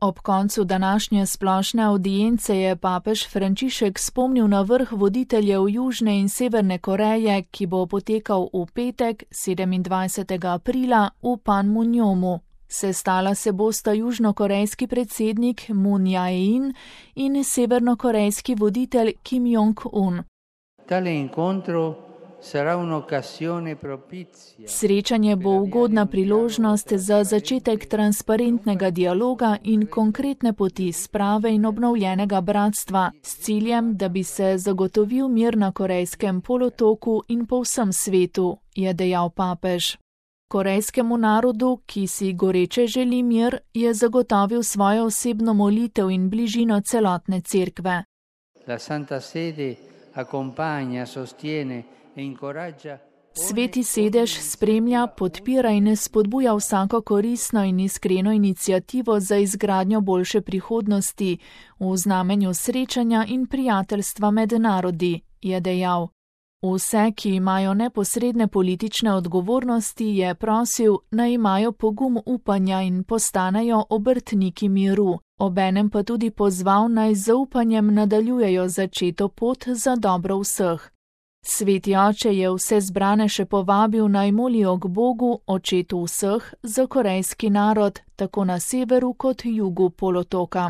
Ob koncu današnje splošne avdience je papež Frančišek spomnil na vrh voditeljev Južne in Severne Koreje, ki bo potekal v petek, 27. aprila, v Panmunjomu. Sestala se bosta južnokorejski predsednik Moon Jae-in in severnokorejski voditelj Kim Jong-un. Srečanje bo ugodna priložnost za začetek transparentnega dialoga in konkretne poti sprave in obnovljenega bratstva s ciljem, da bi se zagotovil mir na Korejskem polotoku in po vsem svetu, je dejal papež. Korejskemu narodu, ki si goreče želi mir, je zagotovil svojo osebno molitev in bližino celotne cerkve. Sveti sedež spremlja, podpira in spodbuja vsako koristno in iskreno iniciativo za izgradnjo boljše prihodnosti v znamenju srečanja in prijateljstva med narodi, je dejal. Vse, ki imajo neposredne politične odgovornosti, je prosil, naj imajo pogum upanja in postanejo obrtniki miru, obenem pa tudi pozval, naj z zaupanjem nadaljujejo začeto pot za dobro vseh. Sveti oče je vse zbrane še povabil, naj molijo k Bogu, očetu vseh, za korejski narod, tako na severu kot jugu polotoka.